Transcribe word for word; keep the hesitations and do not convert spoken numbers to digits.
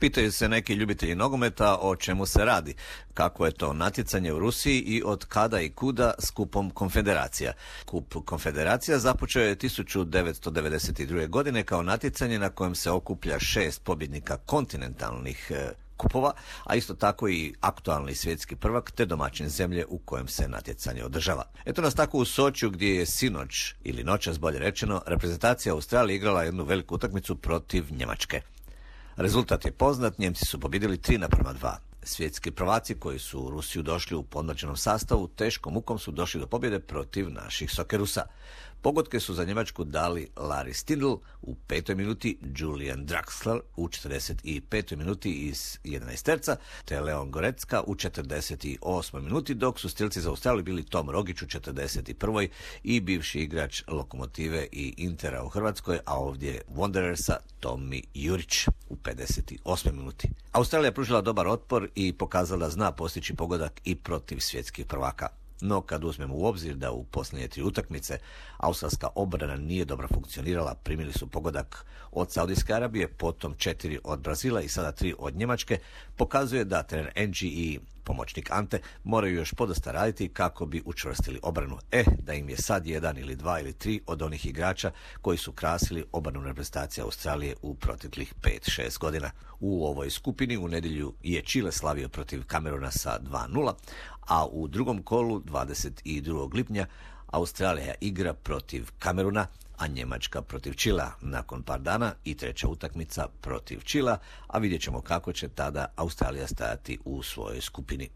Pitaju se neki ljubitelji nogometa o čemu se radi, kako je to natjecanje u Rusiji i od kada i kuda s kupom konfederacija. Kup konfederacija započeo je tisuću devetsto devedeset druge. godine kao natjecanje na kojem se okuplja šest pobjednika kontinentalnih kupova, a isto tako i aktualni svjetski prvak te domaćin zemlje u kojem se natjecanje održava. Eto nas tako u Sočiju gdje je sinoć, ili noćas bolje rečeno, reprezentacija Australije igrala jednu veliku utakmicu protiv Njemačke. Rezultat je poznat, Njemci su pobjedili tri naprema dva. Svjetski prvaci koji su u Rusiju došli u podmlađenom sastavu teškom mukom su došli do pobjede protiv naših Sokerusa. Pogodke su za Njemačku dali Larry Stindl u petoj minuti, Julian Draxler u četrdeset petoj minuti iz jedanaesterca, te Leon Goretzka u četrdeset osmoj minuti, dok su stilci za Australiju bili Tom Rogić u četrdeset prvoj i bivši igrač Lokomotive i Intera u Hrvatskoj, a ovdje Wanderersa Tomi Jurić u pedeset osmoj minuti. Australija je pružila dobar otpor i pokazala da zna postići pogodak i protiv svjetskih prvaka. No, kad uzmemo u obzir da u posljednje tri utakmice australska obrana nije dobro funkcionirala, primili su pogodak od Saudijske Arabije, potom četiri od Brazila i sada tri od Njemačke, pokazuje da trener Engi i pomoćnik Ante moraju još podosta raditi kako bi učvrstili obranu. E, da im je sad jedan ili dva ili tri od onih igrača koji su krasili obranu reprezentacije Australije u proteklih pet šest godina. U ovoj skupini u nedjelju je Čile slavio protiv Kameruna sa dva nula, a u drugom kolu dvadeset drugog lipnja Australija igra protiv Kameruna, a Njemačka protiv Čila nakon par dana i treća utakmica protiv Čila, a vidjet ćemo kako će tada Australija stajati u svojoj skupini.